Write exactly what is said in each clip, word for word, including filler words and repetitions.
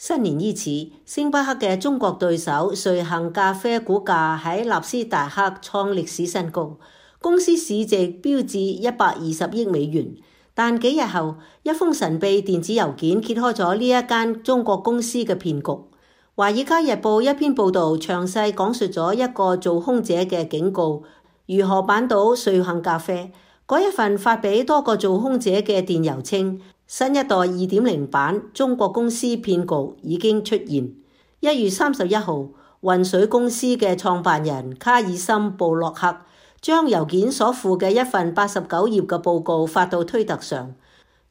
新年伊始，星巴克嘅中國對手瑞幸咖啡股價喺納斯達克創歷史新高，公司市值飆至一百二十億美元。但幾日後，一封神秘電子郵件揭開咗呢一間中國公司嘅騙局。華爾街日報一篇報導詳細講述咗一個做空者嘅警告，如何扳倒瑞幸咖啡。嗰一份發俾多個做空者嘅電郵稱，新一代二點零版中國公司騙局已經出現。一月三十一號，渾水公司嘅創辦人卡爾森布洛克將郵件所附嘅一份八十九頁嘅報告發到推特上。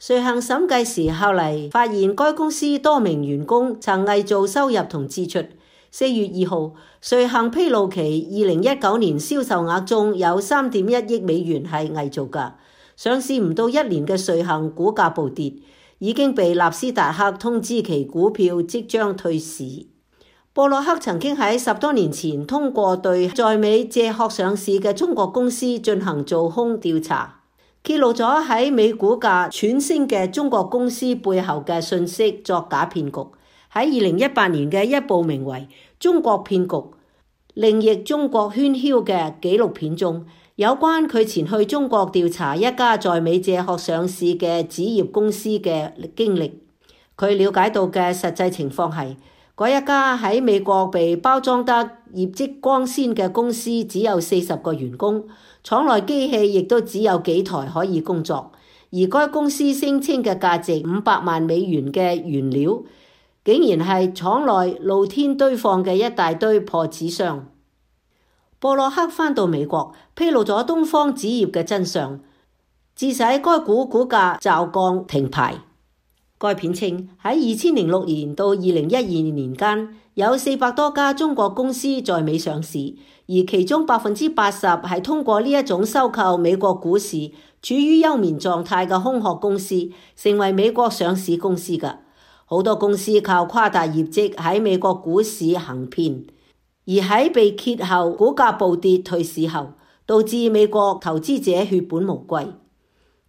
瑞幸審計時後嚟發現該公司多名員工曾偽造收入同支出。四月二號，瑞幸披露其二零一九年銷售額中有三點一億美元係偽造㗎。上市唔到一年嘅瑞幸股價暴跌，已經被納斯達克通知其股票即將退市。布洛克曾經喺十多年前通過對在美借殼上市嘅中國公司進行做空調查，揭露咗喺美股價喘升嘅中國公司背後嘅信息作假騙局。喺二零一八年嘅一部名為《中國騙局》另譯中國喧囂嘅紀錄片中，有關佢前去中國調查一家在美借殼上市嘅紙業公司嘅經歷。佢了解到嘅實際情況係，嗰一家喺美國被包裝得業績光鮮嘅公司只有四十個員工，廠內機器亦都只有幾台可以工作，而該公司聲稱嘅價值五百萬美元嘅原料，竟然係廠內露天堆放嘅一大堆破紙箱。布洛克返到美國，披露咗東方紙業嘅真相，致使該股股價驟降停牌。該片稱喺二千零六年到二零一二年間，有四百多家中國公司在美上市，而其中百分之八十係通過呢一種收購美國股市處於休眠狀態嘅空殼公司，成為美國上市公司嘅。好多公司靠誇大業績喺美國股市行騙，而喺被揭後股價暴跌退市後，導致美國投資者血本無歸。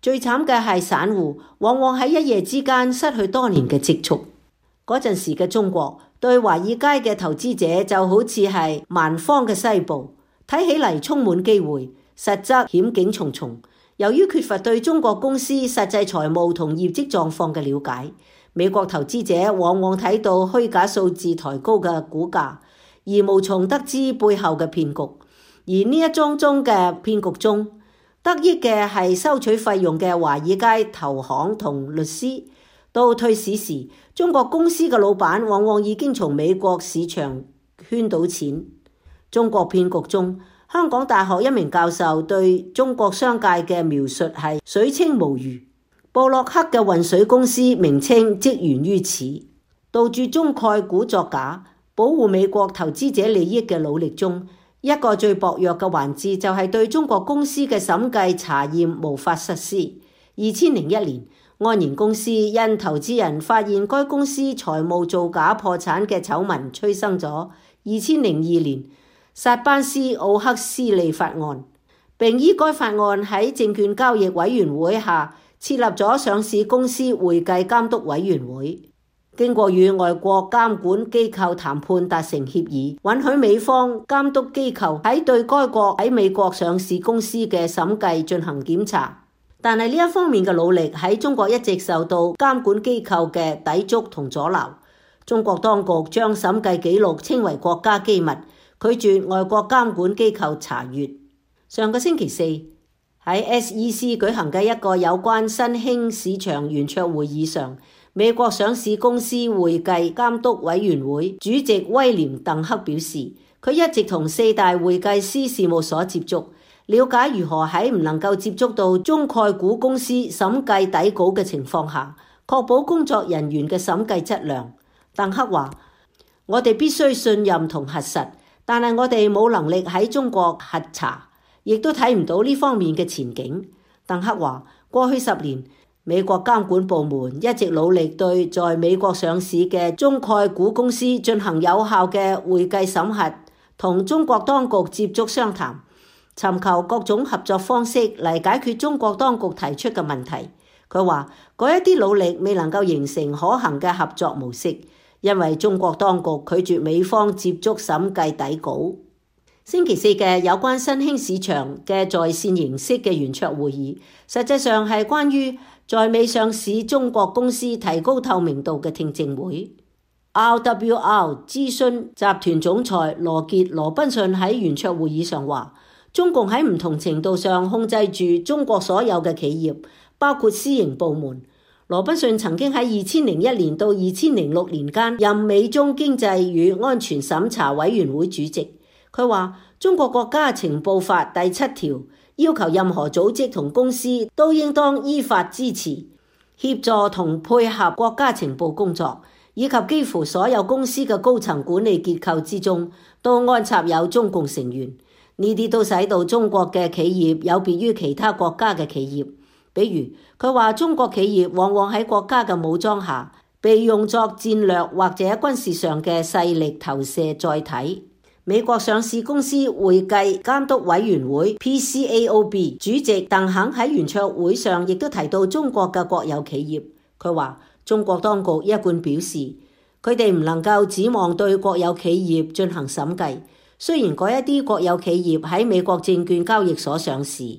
最慘嘅係散戶往往喺一夜之間失去多年嘅積蓄。嗰陣時嘅中國對華爾街嘅投資者就好似係蠻荒嘅西部，睇起嚟充滿機會，實則險境重重。由於缺乏對中國公司實際財務同業績狀況嘅了解，美國投資者往往睇到虛假數字抬高嘅股價，而無從得知背後嘅騙局。而呢一宗宗嘅騙局中，得益嘅係收取費用嘅華爾街投行同律師。到退市時，中國公司嘅老闆往往已經從美國市場圈到錢。中國騙局中，香港大學一名教授對中國商界嘅描述係水清無魚。布洛克嘅渾水公司名稱即源於此。杜絕中概股作假、保護美國投資者利益嘅努力中，一個最薄弱嘅環節就係對中國公司嘅審計查驗無法實施。二千零一年，安然公司因投資人發現該公司財務造假破產嘅醜聞，催生咗二千零二年薩班斯奧克斯利法案，並依該法案喺證券交易委員會下設立咗上市公司會計監督委員會。經過與外國監管機構談判達成協議，允許美方監督機構喺對該國喺美國上市公司嘅審計進行檢查。但係呢一方面嘅努力喺中國一直受到監管機構嘅抵觸同阻撓。中國當局將審計記錄稱為國家機密，拒絕外國監管機構查閱。上個星期四喺 S E C 舉行嘅一個有關新興市場圓桌會議上，美國上市公司會計監督委員會主席威廉鄧克表示，佢一直同四大會計師事務所接觸，了解如何喺唔能夠接觸到中概股公司審計底稿嘅情況下，確保工作人員嘅審計質量。鄧克話：我哋必須信任同核實，但係我哋冇能力喺中國核查，亦都睇唔到呢方面嘅前景。鄧克話：過去十年，美國監管部門一直努力對在美國上市嘅中概股公司進行有效嘅會計審核，同中國當局接觸商談，尋求各種合作方式嚟解決中國當局提出嘅問題。佢話嗰一啲努力未能夠形成可行嘅合作模式，因為中國當局拒絕美方接觸審計底稿。星期四嘅有關新興市場嘅在線形式嘅圓桌會議，實際上係關於在美上市中國公司提高透明度嘅聽證會。R W R 諮詢集團總裁羅傑羅賓遜喺圓桌會議上話，中共喺唔同程度上控制住中國所有嘅企業，包括私營部門。羅賓遜曾經喺二千零一年到二千零六年間任美中經濟與安全審查委員會主席。佢話中國國家情報法第七條要求任何組織同公司都應當依法支持、協助同配合國家情報工作，以及幾乎所有公司嘅高層管理結構之中都安插有中共成員。呢啲都使到中國嘅企業有別於其他國家嘅企業。比如佢話中國企業往往喺國家嘅武裝下被用作戰略或者軍事上嘅勢力投射載體。美國上市公司會計監督委員會 P C A O B 主席鄧肯喺圓桌會上亦都提到中國嘅國有企業。佢話中國當局一貫表示佢哋唔能夠指望對國有企業進行審計，雖然嗰一啲國有企業喺美國證券交易所上市。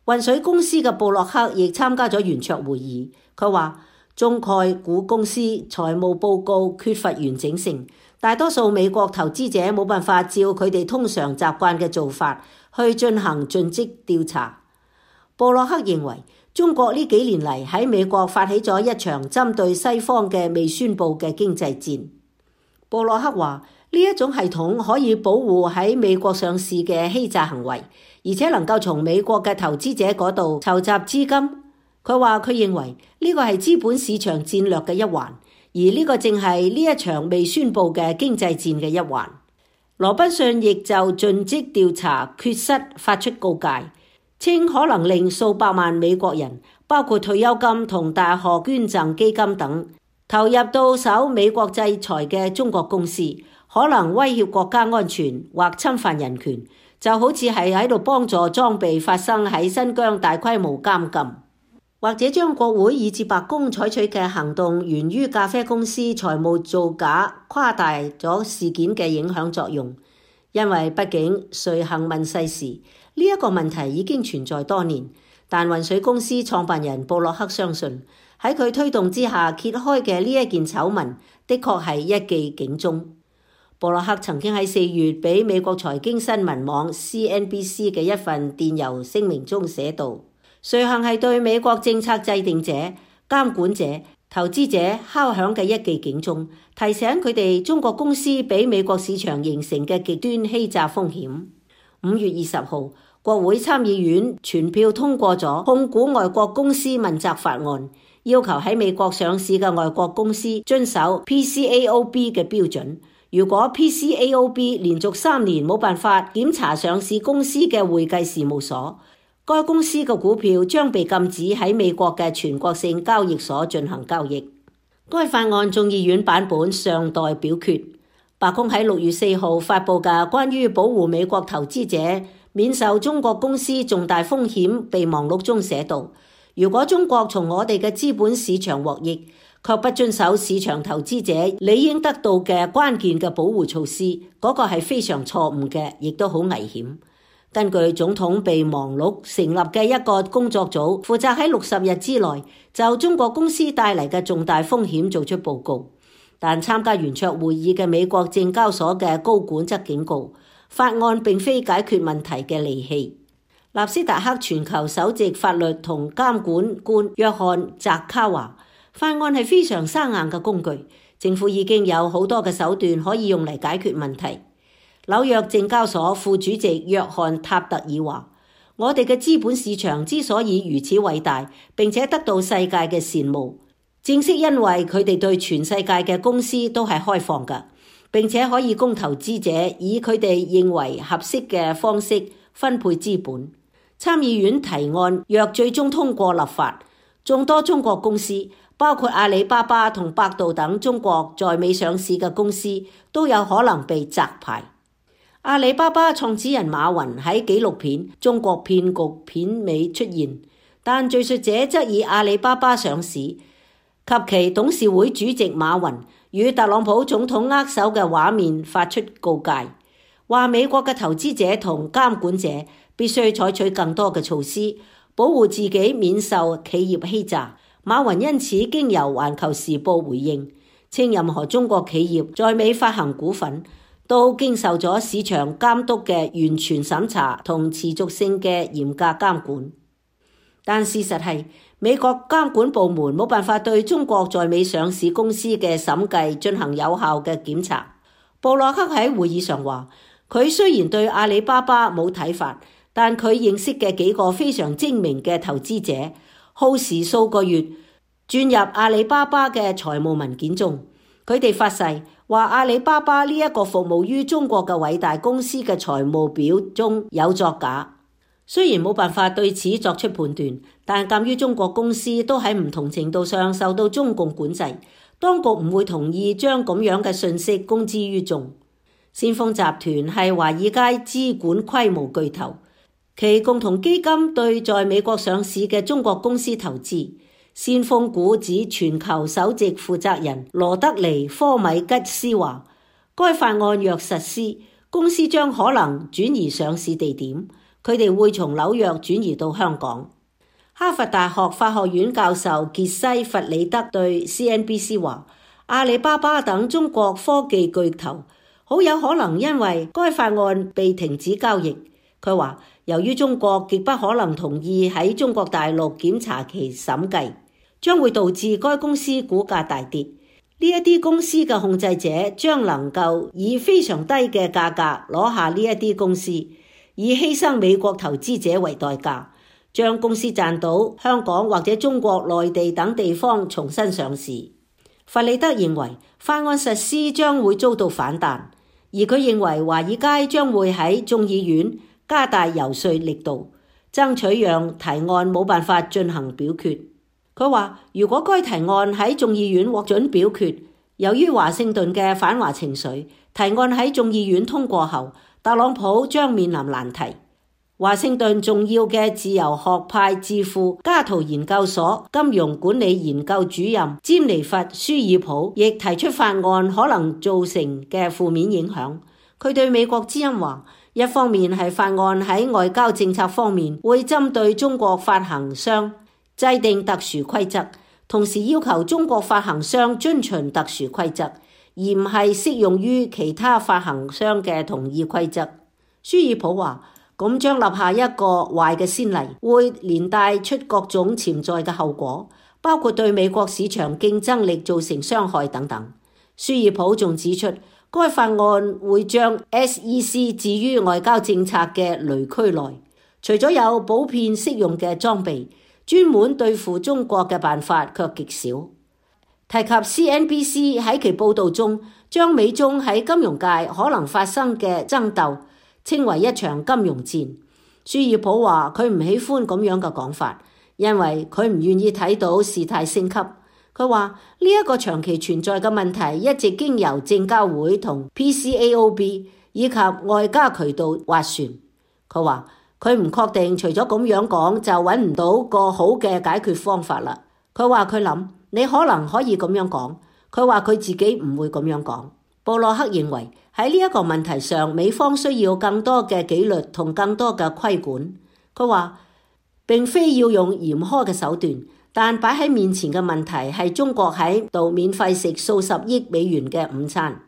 渾水公司嘅布洛克亦參加咗圓桌會議。佢話中概股公司財務報告缺乏完整性，大多數美國投資者冇辦法照佢哋通常習慣嘅做法去進行盡職調查。布洛克認為中國呢幾年嚟喺美國發起咗一場針對西方嘅未宣佈嘅經濟戰。布洛克話呢一種系統可以保護喺美國上市嘅欺詐行為，而且能夠從美國嘅投資者嗰度籌集資金。佢話佢認為呢個係資本市場戰略嘅一環，而呢個正係呢一場未宣佈嘅經濟戰嘅一環。羅賓遜亦就盡職調查缺失發出告誡，稱可能令數百萬美國人，包括退休金同大學捐贈基金等，投入到受美國制裁嘅中國公司，可能威脅國家安全或侵犯人權，就好似係喺度幫助裝備發生喺新疆大規模監禁，或者將國會以至白宮採取嘅行動源於咖啡公司財務造假，誇大咗事件嘅影響作用。因為畢竟誰行問世事，呢一個問題已經存在多年，但渾水公司創辦人布洛克相信喺佢推動之下揭開嘅呢一件醜聞的確係一記警鐘。布洛克曾經喺四月俾美國財經新聞網 C N B C 嘅一份電郵聲明中寫道，瑞幸係對美國政策制定者、監管者、投資者敲響嘅一記警鐘，提醒佢哋中國公司俾美國市場形成嘅極端欺詐風險。五月二十號，國會參議院全票通過咗控股外國公司問責法案，要求喺美國上市嘅外國公司遵守 P C A O B 嘅標準。如果 P C A O B 連續三年冇辦法檢查上市公司嘅會計事務所，該公司嘅股票將被禁止喺美國嘅全國性交易所進行交易。該法案眾議院版本尚待表決。白宮喺六月四號發布嘅關於保護美國投資者免受中國公司重大風險備忘錄中寫道，如果中國從我哋嘅資本市場獲益，卻不遵守市場投資者理應得到嘅關鍵嘅保護措施，嗰個係非常錯誤嘅，亦都好危險。根據總統備忘錄成立嘅一個工作組，負責喺六十日之內就中國公司帶嚟嘅重大風險做出報告。但參加圓桌會議嘅美國證交所嘅高管則警告，法案並非解決問題嘅利器。納斯達克全球首席法律同監管官約翰澤卡話，法案係非常生硬嘅工具，政府已經有好多嘅手段可以用嚟解決問題。紐約證交所副主席約翰塔特爾話，我哋嘅資本市場之所以如此偉大，並且得到世界嘅羨慕，正是因為佢哋對全世界嘅公司都係開放嘅，並且可以供投資者以佢哋認為合適嘅方式分配資本。參議院提案若最終通過立法，眾多中國公司，包括阿里巴巴同百度等中國在美上市嘅公司，都有可能被摘牌。阿里巴巴創始人馬雲喺紀錄片《中國騙局》片尾出現，但敘述者則以阿里巴巴上市及其董事會主席馬雲與特朗普總統握手嘅畫面發出告誡，話美國嘅投資者同監管者必須採取更多嘅措施，保護自己免受企業欺詐。馬雲因此經由環球時報回應，稱任何中國企業在美發行股份都經受咗市場監督嘅完全審查同持續性嘅嚴格監管。但事實係，美國監管部門冇辦法對中國在美上市公司嘅審計進行有效嘅檢查。布洛克喺會議上話，佢雖然對阿里巴巴冇睇法，但佢認識嘅幾個非常精明嘅投資者，耗時數個月轉入阿里巴巴嘅財務文件中，佢哋發誓話阿里巴巴呢一個服務於中國嘅偉大公司嘅財務表中有作假。雖然冇辦法對此作出判斷，但鑑於中國公司都喺唔同程度上受到中共管制，當局唔會同意將咁樣嘅信息公之於眾。先鋒集團係華爾街資管規模巨頭，其共同基金對在美國上市嘅中國公司投資。先鋒股指全球首席負責人羅德尼科米吉斯話，該法案若實施，公司將可能轉移上市地點。佢哋會從紐約轉移到香港。哈佛大學法學院教授傑西弗里德對 C N B C 話，阿里巴巴等中國科技巨頭好有可能因為該法案被停止交易。佢話，由於中國極不可能同意喺中國大陸檢查其審計，將會導致該公司股價大跌。呢一啲公司嘅控制者將能夠以非常低嘅價格攞下呢一啲公司，以犧牲美國投資者為代價，將公司賺到香港或者中國內地等地方重新上市。弗里德認為法案實施將會遭到反彈，而佢認為華爾街將會喺眾議院加大游說力度，爭取讓提案冇辦法進行表決。佢話，如果該提案喺眾議院獲准表決，由於華盛頓嘅反華情緒，提案喺眾議院通過後，特朗普將面臨難題。華盛頓重要嘅自由學派智庫加圖研究所金融管理研究主任詹尼弗舒爾普亦提出法案可能造成嘅負面影響。佢對美國之音話，一方面係法案喺外交政策方面會針對中國發行商制定特殊規則，同時要求中國發行商遵循特殊規則，而唔係適用於其他發行商嘅同意規則。舒爾普話，咁將立下一個壞嘅先例，會連帶出各種潛在嘅後果，包括對美國市場競爭力造成傷害等等。舒爾普仲指出，該法案會將 S E C 置於外交政策嘅雷區內，除咗有普遍適用嘅裝備，專門對付中國嘅辦法卻極少。提及 C N B C 喺其報導中將美中喺金融界可能發生嘅爭鬥稱為一場金融戰。舒爾普話佢唔喜歡咁樣嘅講法，因為佢唔願意睇到事態升級。佢話呢一個長期存在嘅問題一直經由證交會同 P C A O B 以及外交渠道斡旋。佢話佢唔確定除咗咁樣講就揾唔到個好嘅解決方法啦。佢話佢諗你可能可以咁樣講。佢話佢自己唔會咁樣講。布洛克認為喺呢一個問題上，美方需要更多嘅紀律同更多嘅規管。佢話並非要用嚴苛嘅手段，但擺喺面前嘅問題係中國喺度免費食數十億美元嘅午餐。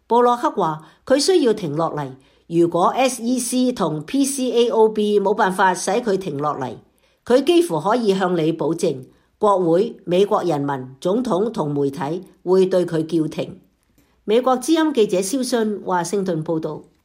布洛克話佢需要停落嚟，如果 S E C 同 P C A O B 冇辦法使佢停落嚟，佢幾乎可以向你保證，國會、美國人民、總統同媒體會對佢叫停。美國之音記者蕭信華盛頓報道。